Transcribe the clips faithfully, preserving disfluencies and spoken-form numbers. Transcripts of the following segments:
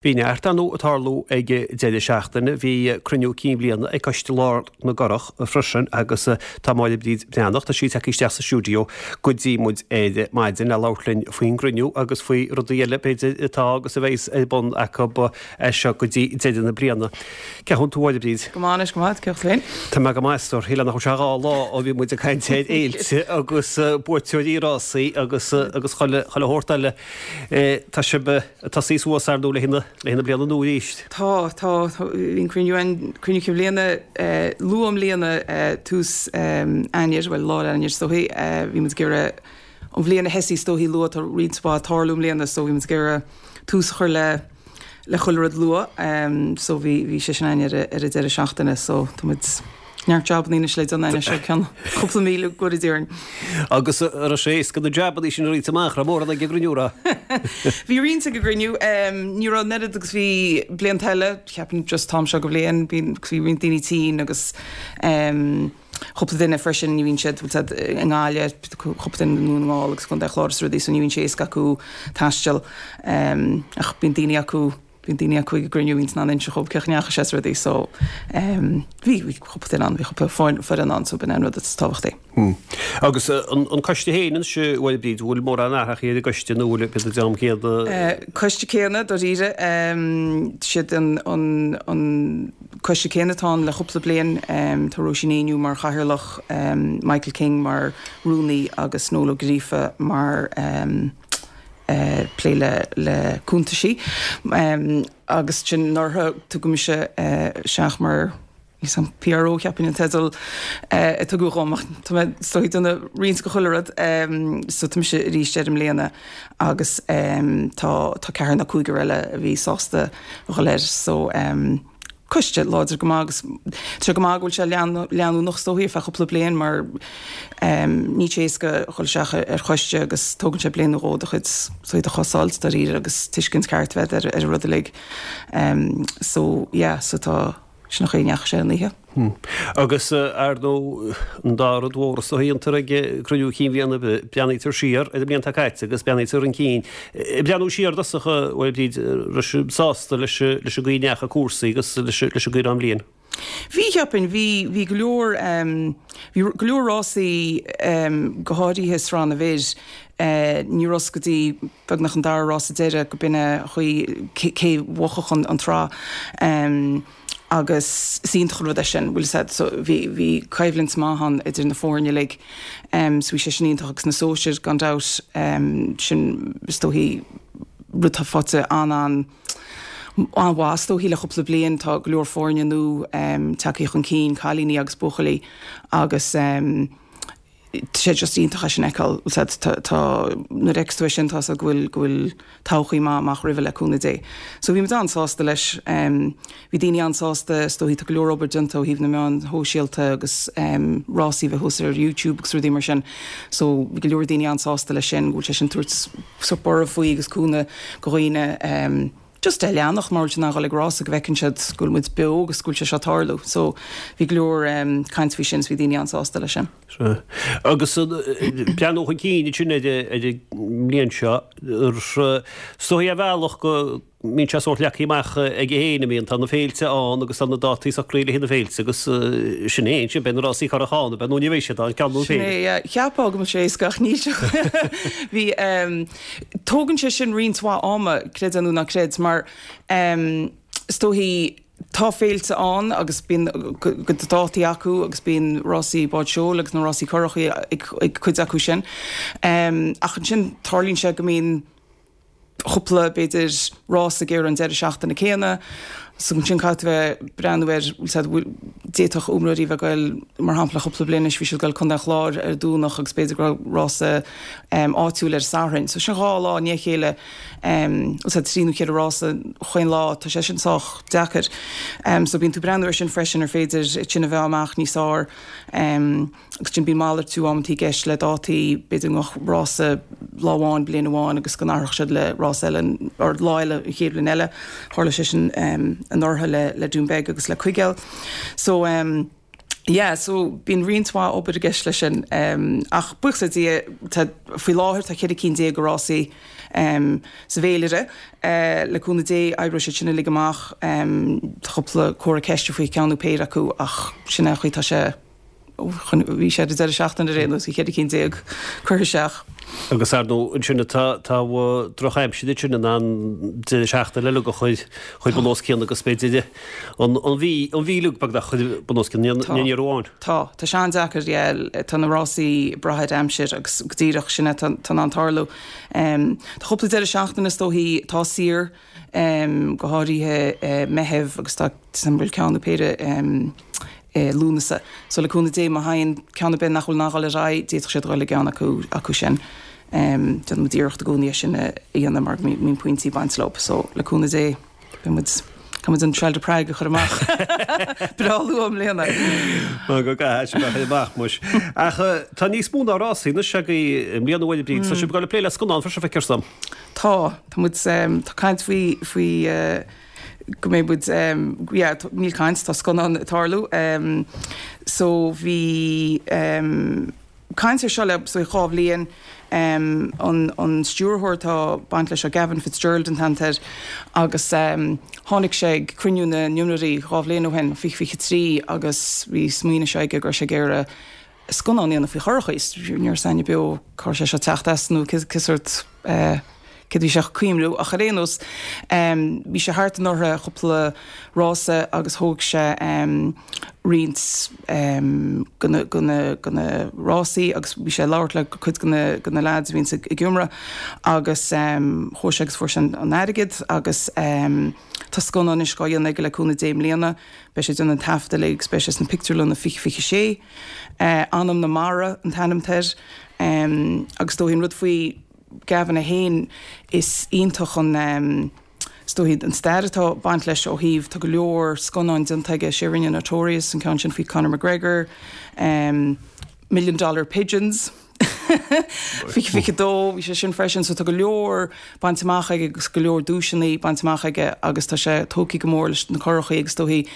Bhí neart ar ndóigh ag tarlú ag deireadh seachtaine, bhí cruinniú cinn bliana ag Coiste Lár na gCurrach freisin agus tá Máire Bríd Breathnach, tá sí tagtha isteach sa stiúideo go dtí muid ar maidin le labhairt linn faoin gcruinniú agus faoi rudaí eile b'fhéidir atá agus a bheas ar bun acu as seo go dtí deireadh na bliana. Cén chaoi a bhfuil tú, a Mháire Bríd? Go maith anois, go maith, cén chaoi féin? Tá mé go maith, a stór, shíl nach raibh sé dhá lá ó bhí muid ag caint ar fhéilte agus buaiteoirí rásaí agus agus chuile chuile shórt eile. Tá sibh ag tosaí suas ar ndóigh le haghaidh le haghaidh na bliana nua arís. Tá, tá, bhí an cruinniú an cruinniú cinn bhliana luath i mbliana tús Eanáir, bhuel lár Eanáir is dóichí, bhí muid ag iarraidh an bhliain a thosaí is dóichí luath, tá roinnt mhaith ag tarlú i mbliana so bhí muid ag iarraidh tús a chur le le chuile rud luath so bhí bhí sé sin againn ar ar an deireadh seachtaine so tá muid neart jabannaí anois le déanamh anois go ceann cúpla mí le go dtí orainn. Agus an raibh sé éasca na jabannaí sin a roinnt amach, raibh mórán ag an gcruinniú, raibh? Bhí roinnt ag an gcruinniú, ní raibh an oiread agus bhí blianta eile, ceapaim just an t-am seo go bhliain, bhí bhí roinnt daoine tinn agus cúpla duine freisin ní bhíonn siad bhfuil siad i nGaillimh, cúpla duine i nDún na nGall agus Contae an Chláir is rudaí so ní bhíonn sé éasca acu taisteal ach bíonn daoine acu bíonn daoine acu ag an gcruinniú bhíonn in ann inse dhóibh cén chaoi a ndeachaigh sé is rudaí so bhí bhí cúpla duine ann bhí cúpla foireann ann so b'in an rud is tábhachtaí. Agus an an coiste féin anois a Mháire Bríd, bhfuil mórán athraithe ar an gcoiste nó bhfuil an dream céanna? Coiste céanna dáiríre siad an an an coiste céanna atá ann le cúpla bliain tá Róisín Éinniú mar chathaoirleach, Michael King mar rúnaí agus Noel Ó Gríofa mar plé le le cuntaisí agus sin anuraidh tugadh mise isteach mar an P R O cheapfainn an teideal a tugadh dhom ach tá mé is dóigh ag déanamh roinnt de chuile rud so tá mise arís air i mbliana agus tá tá ceathrar nó cúigear eile a bhí sásta a dhul air so coiste láidir go maith agus tá sé go maith go bhfuil sé leanúnach is dóichí ar feadh cúpla bliain mar níl sé éasca a dhul isteach ar choiste agus tógann sé bliain nó dhó do chuid do chos a fháilt dáiríre agus tuiscint ceart bheith ar ar an rud uilig. So yeah so tá sin an chaoi a ndeachaigh sé an oíche. Agus ar ndóigh an dá rud mhór is dóichí a dhéantar ag cruinniú cinn bhliana, breathnaítear siar ar an mbliain atá caite agus breathnaítear chun cinn. Ag breathnú siar i dtosach, a Mháire Bríd, raibh sibh sásta leis leis an gcaoi a ndeachaigh cúrsaí agus leis leis an gcaoi a raibh an bhliain? Bhí, cheapfainn, bhí bhí go leor bhí go leor rásaí go háirithe sraith na bhfir, ní raibh fhios go dtí beagnach an dara rása deireadh go b'in é an chaoi cé bhuafadh an an tsraith. Agus is iontach an rud é sin, bhfuil fhios a'd, so bhí bhí coimhlint maith ann idir na foirne uilig, so bhí sé sin iontach agus na sóisir gan dabht, sin is dóichí rud atá faighte an-an an-mhaith is dóichí le cúpla bliain, tá go leor foirne nua tagtha chun cinn, cailíní agus buachaillí agus tá sé just iontach é sin a fheiceáil, bhfuil fhios a'd, tá, tá, nuair a fheiceas tú é sin tá fhios a'd go bhfuil, go bhfuil todhchaí maith amach roimhe le cúnamh Dé. So bhí muid an-sásta leis, bhí daoine an-sásta, is dóichí tá go leor obair déanta ó thaobh na meáin shóisialta agus rásaí a bheith thuas ar YouTube agus rudaí mar sin, so bhí go leor daoine an-sásta leis sin, go bhfuil sé sin tabhairt sórt borradh faoi agus cúnamh go dhaoine just é a leanacht mar bhfuil siad in ann dhul ag rása go bhfeiceann siad go bhfuil muid beo agus go bhfuil sé seo ag tarlú. So bhí go leor caint faoi sin is bhí daoine an-sásta leis sin. Sea. Agus breathnú chun cinn ansin ar an mbliain seo, is dóichí ar bhealach go mbíonn sé sórt leagtha amach aige féin, a mbíonn, tá na féilte ann agus tá na dátaí socraithe le haghaidh na féilte agus sin é ansin, beidh na rásaí curach ann, beidh nó ní bheidh siad ann, ceann nó Sin é, yeah. Cheapfá go mbeadh sé éasca ach níl sé. Bhí, Tógann sé sin roinnt mhaith ama, creid é nó ná creid, mar is dóichí tá féilte ann agus bíonn a gcuid dátaí acu agus bíonn rásaí báid seoil agus na rásaí curachaí ag cuid acu sin. Ach ansin tarlaíonn sé go mbíonn cúpla, b'fhéidir, rás ag ar an deireadh seachtaine céanna. So ansin caithfidh tú bheith ag breathnú ar, bhfuil fhios a'd, d'fhéadfadh iomróirí bheith ag goil, mar shampla, cúpla bliain anois bhí siad ag goil Contae an Chláir ar an Domhnach agus b'fhéidir go raibh rása áitiúil ar an Satharn. So sin dhá lá i ndiaidh a chéile, bhfuil fhios a'd, trí nó ceithre rása chaon lá, tá sé sin sách deacair. So bíonn tú ag breathnú ar sin freisin ar féidir sin a bheith amach níos fearr. Agus ansin bíonn malartú amantaí i gceist le dátaí, b'fhéidir go mbeadh rása lá amháin bliain amháin agus go n-athródh siad le rás eile or lá eile an chéad bhliain eile. Tharla sé sin anuraidh le le Dún Beag agus le Cuigéal. So Yeah, so bíonn roinnt mhaith obair i gceist leis sin um, ach buíochas le Dia tá faoi láthair tá ceithre cinn déag de rásaí um, sa bhféilire uh, le cúnamh Dé oibreoidh siad sin uilig amach um, tá cúpla comhartha ceiste faoi ceann nó péire acu ach sin é an chaoi tá sé chun bhí sé deireadh seachtaine ar aon nós bhí ceithre cinn déag curtha isteach. Agus ar ndóigh ansin tá tá drochaimsir sin in ann deireadh seachtaine uilig a chur chur bun os cionn agus b'fhéidir an an mhí an mhí uilig beagnach chur bun os cionn ní ní amháin. Tá tá sé an-deacair yeah, tá na rásaí ag brath ar aimsir agus go díreach sin tá tá an tarlú. Um, tá cúpla deireadh seachtaine is dóichí tá saor um, go háirithe uh, Meitheamh agus tá san bhfuil ceann nó péire um, eh, Lúnasa. So le cúnamh Dé má thagann ceann ar bith nach bhfuil in ann dul ar aghaidh, d'fhéadfadh siad dul i gceann acu acu sin. Um, Déanann muid iarracht i gcónaí é sin a dhéanamh mar go mbíonn pointí ag baint leo, so le cúnamh Dé beidh muid Tá muid an Trail de Prague a chur amach breá luath i mbliana. Má go gcaithfidh sé amach muis. Ach eh, tá níos mó ná rásaí anois agaibh i mbliana a Mháire Bríd, tá sibh ag dul ag plé le scannán freisin feictear dom. Tá tá muid um, tá caint faoi faoi uh, go mbeidh muid um, yeah, t- níl caint tá scannán ag tarlú um, so bhí um, caint ar seo le so dhá bhliain um, an, an stiúrthóir tá baint leis seo Gavin Fitzgerald an t-ainm air agus um, tháinig sé ag cruinniú na n-iomairí dhá bhliain ó shin fiche fiche trí agus bhí smaoineamh sé aige go raibh sé ag iarraidh scannán a dhéanamh faoi churachaí ní raibh aithne beo cá raibh sé seo ag teacht as nó cé sórt uh, cad bhí sé cuimriú ach ar aon nós um, bhí sé thart anuraidh cúpla rása agus thóg sé um, roinnt um, de na, de na, de na rásaí agus bhí sé labhairt le cuid de na, de na lads a bhíonn ag iomramh agus um, chuaigh sé agus fuair sé an airgead agus um, tá scannán anois á dhéanamh aige le cúnamh Dé i mbliana, beidh sé déanamh an taifead uilig agus beidh sé sna pictiúrlanna fiche fiche sé, uh, Anam na Mara an t-ainm air um, agus dóigh an rud faoi Gavin é féin is iontach an um, is dóigh an stair atá baint leis ó thaobh tá go leor scannáin déanta aige sé rinne Notorious an ceann sin faoi Conor McGregor, um, Million Dollar Pigeons. Fiche fiche dó bhí sé sin freisin so tá go leor bainte amach aige agus go leor duaiseanna bainte amach aige agus tá sé tógtha go mór leis na curachaí agus dóigh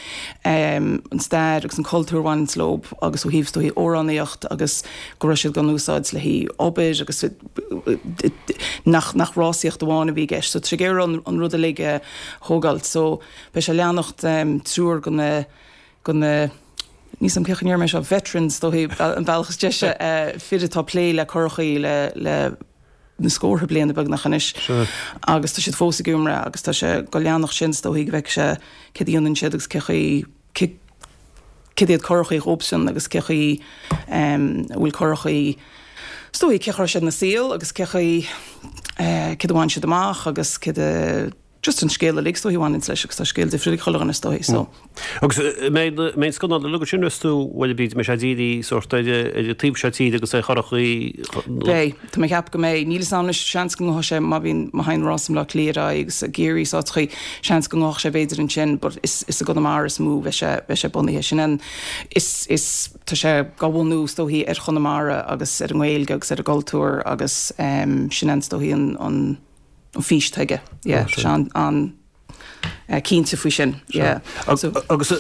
um, an stair agus an cultúr a bhaineann leo agus ó thaobh dóigh amhránaíocht agus go raibh siad gan úsáid le haghaidh obair agus nach nach rásaíocht amháin a bhí i gceist so tá sé an, an rud uilig a thógáil so beidh sé leanacht um, triúr de na de na Ní sam cé mé seo veterans dóigh an bealach is deise uh, fir atá plé le curachaí le le na scórtha bliana beagnach anois agus tá siad fós ag iomramh agus tá sé go leanach sin dóigh bheith sé cad a dhéanann siad agus cé cad iad curachaí dóibhsean agus cé chaoi um, bhfuil curachaí is dóigh cé chuir siad na saol agus cé chaoi uh, cad a bhain siad amach agus cad a just an scéal uilig is dóigh a bhaineann leis agus tá scéal difriúil ag chuile dhuine is dóigh so. Agus mé scannán le sin tú bhfuil bíd me sé díí sort ar ar taobh seo tíre agus é churachaí Beidh tá mé ag ceapadh go mbeidh níl a fhios agam seans go sé má bhíonn má théann rás Bhaile Átha Cliath agus a géirí sáchaí seans go ngabhfaidh sé b'fhéidir ansin, but is is i gConamara is mó bheidh sé bheidh sé bunaithe sin an is is tá sé á bhunú is dóigh ar Chonamara agus ar an nGaeilge agus ar an gcultúr agus um, sin an is dóigh an an an fhís atá aige yeah, tá sé an an uh, cinnte faoi sin yeah. So, agus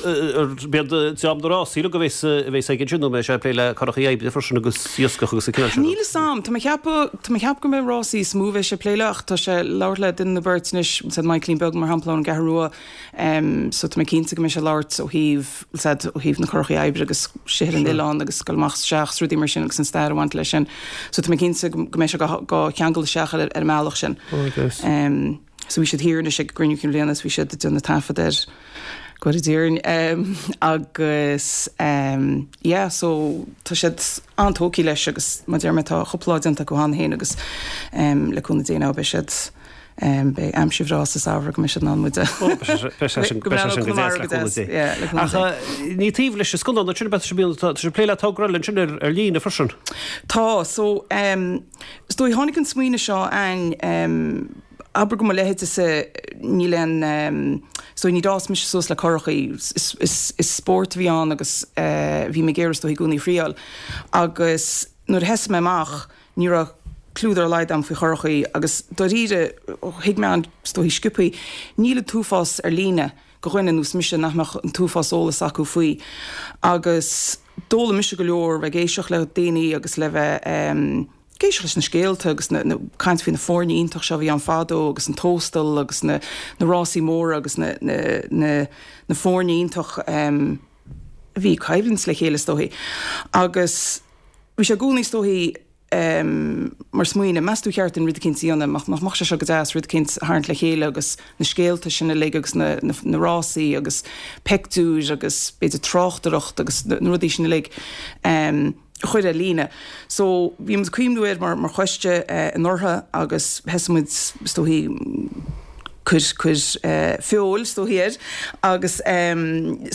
b'iad team na rásaí go bheas bheas ag sin nó mé sé plé le curachaí oibre freisin agus iascach agus a cineál sin. Níl a fhios agam, tá mé ag ceapadh tá mé ag ceapadh go mbeidh rásaí is mó bheidh sé plé le ach tá sé labhairt le duine nó beirt anois said Michaelín Beag mar shampla ón gCeathrú Rua um, so tá mé cinnte go mbeidh sé labhairt ó thaobh said ó thaobh na curachaí oibre agus sithe an oileán agus dul amach isteach rudaí mar sin agus an stair a bhaint leis sin. So tá mé cinnte go go mbeidh sé go go cheangal isteach ar ar an mbealach sin. Um, so bhí siad thiar anois ag gcruinniú cinn bhliana bhí siad ag déanamh taifead ar go dtírin um, agus um, yeah, so tá siad an-tógtha leis agus mar deir mé tá cúpla déanta acu cheana féin agus um, le cúnamh Dé beidh siad um, beidh aimsir bhreá sa samhradh go mbeidh siad in ann muid a Ach ní taobh leis an scannán sin bheith tá sé plé le togra eile sin ar ar líne freisin. Tá so um, is dóigh tháinig an smaoineamh seo an um, abair go mo leithéidse níl an um, so ní d'fhás mise suas le curachaí is, is, is spórt a bhí ann agus uh, bhí mé ag iarraidh is dóigh i gcónaí a thriail agus nuair a sheas mé amach ní raibh clue dá laghad agam faoi churachaí agus dáiríre thuig mé an is dóigh sciobthaí níl an t-uafás ar líne go dhuine ar nós mise nach mbeadh an t-uafás eolas acu faoi agus D'fhoghlaim mise go leor bheith ag éisteacht le daoine agus le bheith ag éisteacht leis na scéalta agus na na caint faoi na foirne iontach seo a bhí ann fadó agus an Tóstal agus na na rásaí móra agus na na na na foirne iontach a bhí ag coimhlint le chéile is dóichí. Agus bhí sé i gcónaí is dóichí mar smaoineamh, meas tú ar cheart dúinn rud eicínt a dhéanamh, nach mbeadh sé seo go deas, rud eicínt a tharraingt le chéile agus na scéalta sin uilig agus na na rásaí agus peictiúir agus b'fhéidir tráchtaireacht agus na rudaí sin uilig a chur ar líne. So bhí muid ag cuimhniú air mar mar choiste anuraidh agus thosaigh muid is dóichí cur cur feoil is dóichí air agus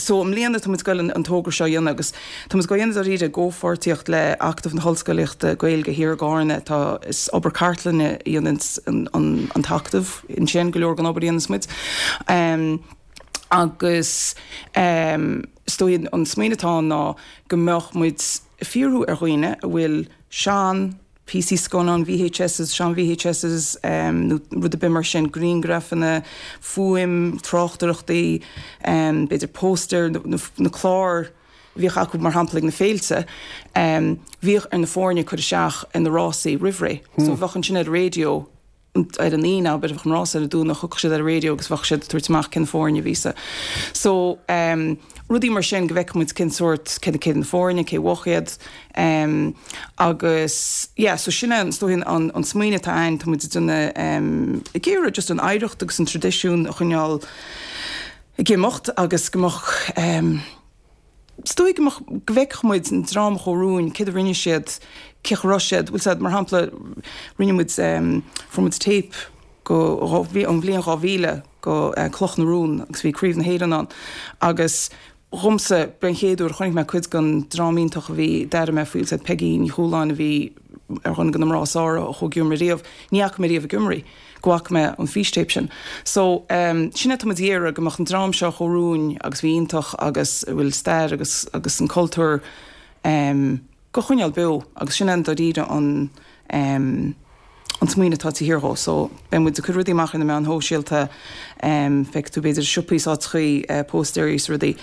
so i mbliana tá muid ag goil an togra seo a dhéanamh agus tá muid ag goil a dhéanamh dáiríre i gcomhpháirtíocht le Acadamh na hOllscolaíochta Gaeilge thiar i gCarna tá is obair cartlainne a dhéananns an an an tAcadamh ansin go leor den obair a dhéananns muid agus is dóichí an smaoineamh atá ann ná go mbeadh muid ag fiafraí ar dhaoine a bhfuil sean píosaí scannán VHSs, sean VHSs nó rud ar bith mar sin, grianghrafanna, fuaim, tráchtaireachtaí, b'fhéidir póstaeir, na cláir a bhíodh acu mar shampla ag na féilte, bhíodh ar na foirne cur isteach ar na rásaí roimh ré. So bheadh ansin ar an raidió ar an Aoine, abair, bheadh an rása ar an Domhnach, thiocfadh siad ar an raidió agus bheadh siad ag tabhairt amach cén foirne a bhí sa. So um, rudaí mar sin go bhfeicfeadh muid cén sórt, cé cé na foirne, cé bhuaigh iad. Um, agus yeah, so sin é is dóichí an, an smaoineamh atá ann, tá muid ag déanamh um, ag iarraidh just an oidhreacht agus an traidisiún a choinneáil ag imeacht agus go mbeadh um, Is dóigh go mbeadh, go bhfeicfeadh muid an dream a chuaigh romhainn, céard a rinne siad, cén chaoi a raibh siad, bhfuil 's a'd, mar shampla, rinne muid, fuair muid téip go, ón bhliain dhá mhíle go Cloch na Rún agus bhí Craobh na hÉireann ann agus dhomsa, b'é an chéad uair a chonaic mé cuid den dream iontach a bhí, d'airigh mé faoi, bhfuil 's a'd, Peigí Ní Chualáin a bhí ar dhuine de na mná is fearr a chuaigh ag imirt riamh, ní fhaca mé riamh ag imirt í. go bhfaca mé an fístéip sin. So, sin é atá muid ag iarraidh, go mbeadh an dream seo a chuaigh romhainn agus a bhí iontach agus a bhfuil stair agus agus an cultúr go choinneáil beo agus sin é i ndáiríre an an smaoineamh atá taobh thiar dhó. So, beidh muid ag cur rudaí amach ar na meáin shóisialta, feicfidh tú b'fhéidir i siopaí is áiteachaí póstaeirí is rudaí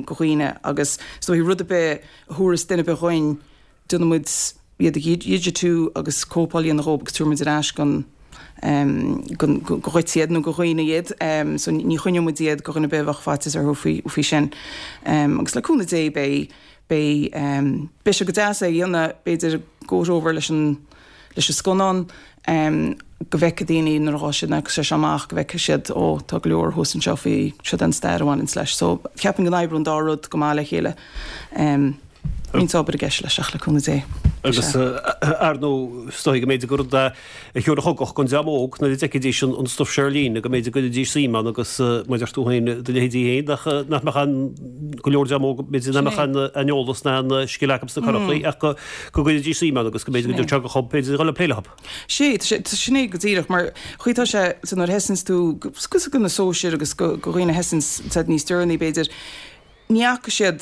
go dhaoine agus is dóichí rud ar bith a thabharfas duine ar bith dhuinn, déanfaidh muid iad a dhigitiú agus cóipeáil a dhéanamh dhóibh agus tabharfaidh muid ar ais gon gon go dhuit iad nó go dhaoine iad. So ní choinneoidh muid iad go dhuine ar bith a bheadh faitíos orthu faoi faoi sin. Agus le cúnamh Dé beidh beidh beidh sé go deas é a dhéanamh b'fhéidir go over leis an leis an scannán go bhfeicfidh daoine nuair a ghabhfaidh siad nuair a sé seo amach go bhfeicfidh siad ó tá go leor thuas anseo faoi seo den stair a bhaineanns leis. So ceapaim go n-oibreoidh an dá rud go maith le chéile. Roinnt obair i gceist leis ach le cúnamh Dé. Agus ar ndóigh, is dóigh go mb'fhéidir gur rud é a thiúrfadh ugach don dream óg nuair a d'fheicfidís an stuif seo ar líne, go mb'fhéidir go gcuirfidís suim ann agus mar a deir tú féin, do leithéidí féin, nach mbeadh an, go leor dream óg, b'fhéidir nach mbeadh an eolas ná an scil acu sna curachaí ach go gcuirfidís suim ann agus go mb'fhéidir go dtiocfadh sé chucu, b'fhéidir, a dhul ag plé leo. Sé, sin é go díreach, mar chaoi tá sé, so nuair a thosaíonns tú, go na sóisir agus go dhaoine a thosaíonns níos deireanaí b'fhéidir, Ní fhaca siad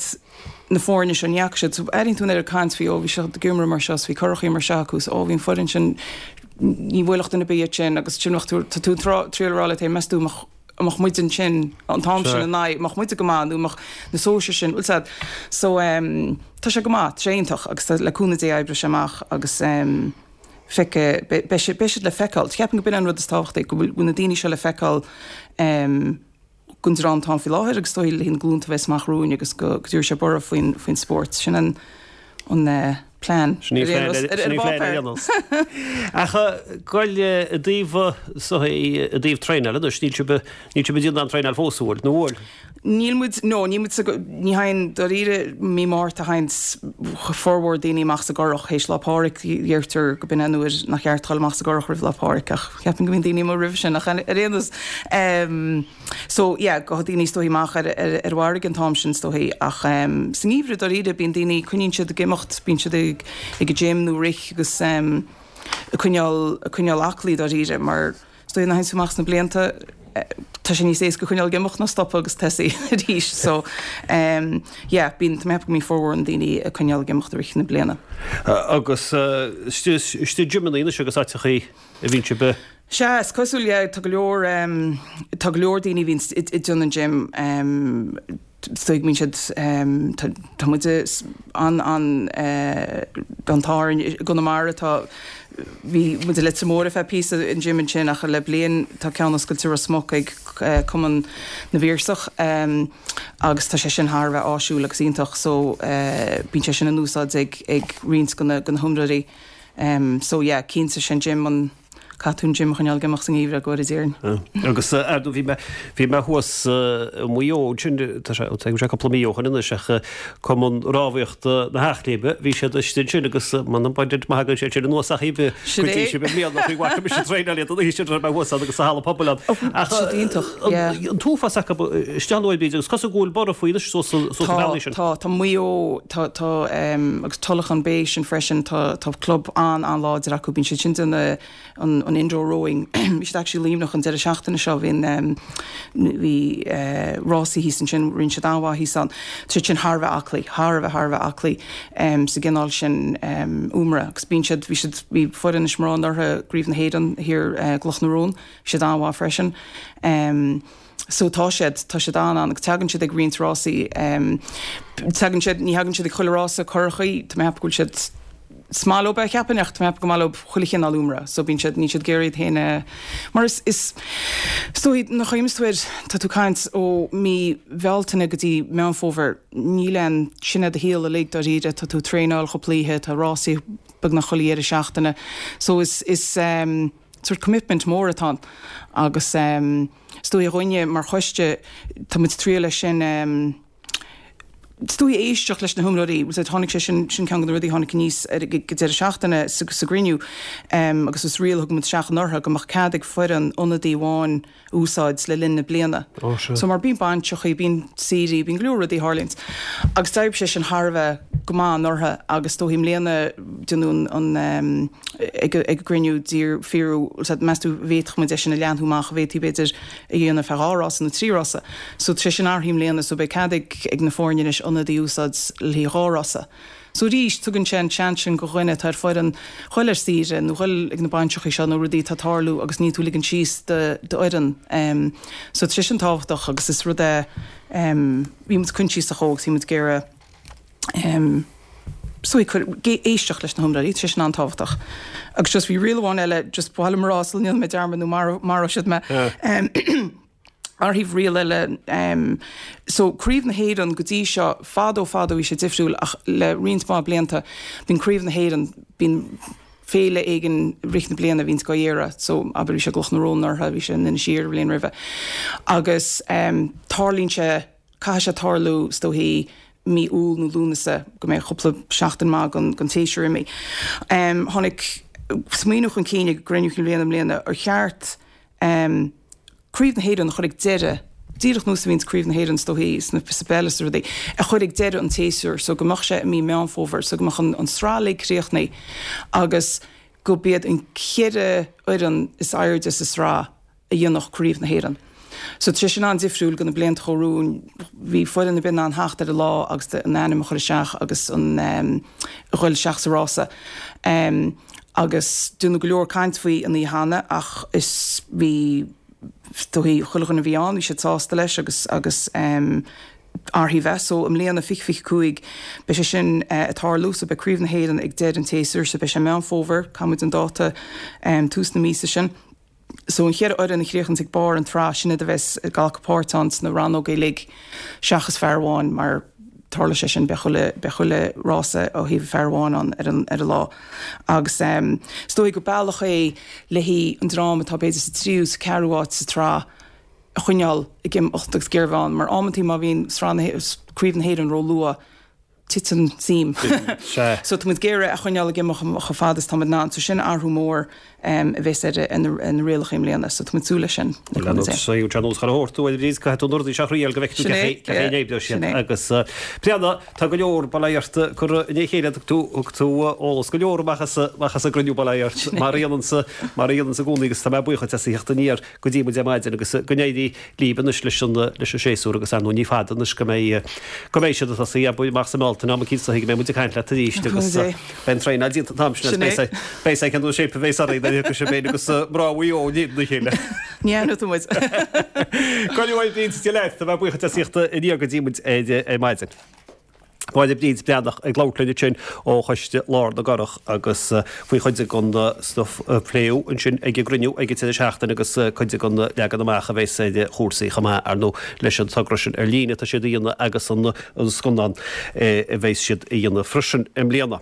na foirne seo, ní fhaca siad. So airíonn tú an oiread caint faoi, ó bhí siad ag imirt mar seo, 's bhí curachaí mar seo acu, 's ó bhí an foireann sin, ní bhuailfeadh duine ar bith iad sin agus sin bheadh tú, tá tú ag triail a rá leat féin, meas tú an mbeadh, an mbeadh muid ansin an t-am sin ina n-aghaidh, an mbeadh muide go maith nó an mbeadh na sóisir sin, bhfuil 's a'd. So em tá sé go maith, tá sé iontach agus tá, le cúnamh Dé oibreoidh sé amach agus em feicfidh, beidh siad, beidh siad le feiceáil. Ceapaim go b'in an rud is tábhachtaí, go bhfuil na daoine seo le feiceáil em don dream atá ann faoi láthair agus is dóigh le na glúnta a bheas amach romhainn agus go dtabharfaidh sé borradh faoin faoin spórt. Sin an an plean. Sin í an plean ar aon nós. Ach goil i dtaobh i dtaobh traenáil anois, níl sibh níl sibh ag déanamh aon traenáil fós, an bhfuil? Nó bhfuil? Níl muid, no, níl muid sa, ní théann, dáiríre, mí Márta a théanns formhór daoine amach sa gcurach, théis Lá Pádraig, deirtear go b'in an uair nach ceart dul amach sa gcurach roimh Lá Pádraig ach ceapaim go mbíonn daoine amuigh roimhe sin ach ar aon nós. So yeah, gabhfaidh daoine is dóichí amach ar ar ar an bhfarraige an t-am sin is dóichí ach em sa ngeimhreadh dáiríre bíonn daoine, coinníonn siad ag imeacht, bíonn siad ag ag an gym nó rith agus em ag coinneáil ag coinneáil aclaí dáiríre mar is dóichí nuair a théann tú amach sna blianta eh tá sé níos éasca coinneáil ag imeacht ná stopadh agus tosaí arís so em yeah bíonn, tá mé ag ceapadh go mbíonn formhór na ndaoine ag coinneáil ag imeacht i rith na bliana. Agus eh istigh istigh gymeanna anois agus áiteachaí a bhíonn sibh? Sea, is cosúil, yeah, tá go leor, tá go leor daoine a bhíonn ag déanamh an gym, Is dóigh go mbíonn siad, tá muid an an an t-ádh orainn i gConamara, tá, bhí muid i Leitir Móir ar feadh píosa, an gym ansin ach le bliain tá ceann oscailte i Ros Muc ag Cumann na bPiarsach agus tá sé sin thar a bheith áisiúil agus iontach so bíonn sé sin in úsáid ag ag roinnt de na de na hiomróirí. So yeah, cinnte sé an gym an Caithfidh tú an gym a choinneáil ag imeacht sa ngeimhreadh, go bhfóire Dia orainn. Agus ar ndóigh bhí mé, bhí mé thuas i Maigh Eo ansin, tá sé, tá sé cúpla mí ó shoin anois ach Cumann Rámhaíochta na hEachléimhe, bhí siad istigh ansin agus m'anam baint maith againn siad sin anuas ach iad go dtí sin i mbliana faoi bhfaca mise traenáil iad an oíche sin raibh mé thuas ann agus sa halla pobail ann. Ach Siad iontach, yeah. an t-uafás acu isteach an uair bíd agus cosúil go bhfuil borradh faoi anois suas suas na Tá, bealaí sin. tá, tá Maigh Eo, tá, tá, agus Tulach an Bay sin freisin, tá, tá club an-an-láidir acu, bíonn siad sin de na, an an indoor rowing. Bhí siad actually i Luimneach an deireadh seachtaine seo, bhí an bhí rásaí thíos ansin, rinne siad an-mhaith thíos ann. Tá siad sin thar a bheith aclaí, thar a bheith, thar a bheith aclaí sa gcineál sin iomaire agus bíonn siad, bhí siad, bhí foireann Inis Murá anuraidh i gCraobh na hÉireann thiar i gCloch na Rón, bhí siad an-mhaith freisin. So tá siad, tá siad an-an agus tagann siad ag roinnt rásaí, tagann siad, ní thagann siad ag chuile rása curachaí, tá mé ag ceapadh go bhfuil siad, Is maith leo é, cheapfainn, ach tá mé ag ceapadh gur maith leo chuile chineál iomaire, so bíonn siad, níl siad ag iarraidh iad féin a, mar is, is, is dóigh, nuair a chuimhníos tú air, tá tú ag caint ó mí Bhealtaine go dtí Meán Fómhair, níl aon, sin é do shaol uilig dáiríre, tá tú ag traenáil chúpla oíche, tá rásaí beagnach chuile dheireadh seachtaine, so is, is ehm sort commitment mór atá ann agus ehm is dóigh dhúinne mar choiste, tá muid ag triail é sin ehm, Is dóigh éisteacht leis na hiomróirí, bhuel tháinig sé sin, sin ceann de na rudaí a tháinig aníos ar ag an deireadh seachtaine sa sa gcruinniú agus is riail a thug muid isteach anuraidh go mbeadh cead ag foireann ionadaí amháin a úsáid le linn na bliana. Ó sea. So mar bíonn bainseachaí, bíonn saoirí, bíonn go leor rudaí a tharlaíonns agus d'oibrigh sé sin thar a bheith go maith anuraidh agus is dóigh i mbliana déanadh an an ag ag an gcruinniú d'iarr fiafraíodh meas tú an bhféadfadh muid é sin a leathnú amach, an bhféadfaí b'fhéidir a dhéanamh ar feadh dhá rása nó trí rása. So tá sé sin athraithe i mbliana so beidh cead ag ag na foirne anois ionadaí a úsáid le haghaidh dhá rása. So arís tugann sé an seans sin go dhuine atá ar foireann ghoil ar saoire nó ghoil ag na bainseachaí seo nó rudaí atá ag tarlú agus níl tú ag ligean síos do d'fhoireann. Um so tá sé sin tábhachtach agus is rud é um bhí muid coinsiasach dhó agus bhí muid ag iarraidh um so ag cur éisteacht leis na hiomróirí, tá sé sin an-tábhachtach. Agus just bhí riail amháin eile, just ba mhaith liom a rá sula ndéanfaidh mé dearmad nó maróidh siad mé. Athraíodh riail eile, so Craobh na hÉireann go dtí seo, fadó fadó bhí sé difriúil ach le roinnt mhaith blianta bíonn Craobh na hÉireann, bíonn féile éigin i rith na bliana a bhíonns á iarraidh, so abair bhí sé i gCloch na Rón anuraidh, bhí sé in Inis Oírr an bhliain roimhe agus tarlaíonn sé, caithfidh sé tarlú is dóichí mí Iúil nó Lúnasa, go mbeidh cúpla seachtain maith den tséasúr imithe. Tháinig smaoineamh chun cinn ag an gcruinniú cinn bhliana i mbliana ar cheart Craobh na hÉireann a chur ag deireadh, díreach nós a bhíonns Craobh na hÉireann is dóichí sna sa bpeil is rudaí, a chur ag deireadh an tséasúir so go mbeadh sé i mí Meán Fómhair so go mbeadh an an sraith uilig críochnaithe agus go b'iad an ceithre fhoireann is airde sa sraith a dhéanfadh Craobh na hÉireann. So tá sé sin an-difriúil go na blianta a chuaigh romhainn. Bhí foireann ar bith in ann theacht ar an lá agus a n-ainm a chur isteach agus an a ghoil isteach sa rása. Agus deineadh go leor caint faoi an oíche cheana ach is bhí is dóichí chuile dhuine a bhí ann bhí siad sásta leis agus agus athraíodh é. So i mbliana fiche fiche cúig beidh sé sin ag tarlú so beidh Craobh na hÉireann ag deireadh an tséasúir so beidh sé Meán Fómhair, caithfidh muid an dáta tús na míosa sin. So an cheithre fhoireann a chríochnaíonns ag barr an tsraith, sin iad a bheas ag glacadh páirt ann sna rannóga uilig seachas fear amháin mar tarla sé sin, beidh chuile, beidh chuile rása ó thaobh fear amháin ann ar an, ar an lá. Agus ehm is dóigh gur bealach é le haghaidh an dream atá b'fhéidir sa tríú, sa ceathrú áit sa tsraith a choinneáil ag imeacht agus ag iarraidh a bheith ann mar amantaí má bhíonn sraith na, craobh na hÉireann ró-luath, titeann suim. So tá muid ag iarraidh a choinneáil ag imeacht chomh fada is tá muid in ann. So sin athrú mór a bheas ar na rialacha i mbliana. So tá muid ag súil leis sin. Bhuel, ar nós sé an nós chun a thabhairt tú ar bhríd, caithfidh tú na rudaí seo a thriail go bhfeicfidh tú cén chaoi a n-oibreoidh siad. Agus Bréanna, tá go leor bail ó Dhia ort curtha ina chéile, thug tú thug tú eolas go leor amach as amach as an gcruinniú bail ó Dhia ort mar a dhéananns mar a dhéananns i gcónaí agus tá mé buíoch duit as a theacht aniar go dtí muid ar maidin agus go n-éirí libh anois leis an leis an séasúr agus ar ndóigh ní fada anois go mbeidh go mbeidh siad ag tosaí amach sa mBealtaine. Bealtaine am eicínt go mbeidh muid ag caint leat arís agus beidh an traenáil déanta an t-am sin agus beidh sé cén shape a bheas orainn nuair a thiocfaidh sibh féin agus mná Mhaigh Eo in éadan a chéile. Ní aithneoidh tú muid. Go raibh Bríd, Dia leat, tá mé buíoch as ucht a theacht aniar go dtí muid ar maidin. Máire Bríd Breathnach ag labhairt linn ansin ó Choiste Lár na gCurrach agus faoi chuid den stuif a pléadh ansin ag an gcruinniú ag an deireadh seachtaine agus cuid den leagan amach a bheas ar chúrsaí chomh maith, ar ndóigh, leis an togra sin ar líne atá siad a dhéanamh agus an scannán a bheas siad a dhéanamh freisin i mbliana.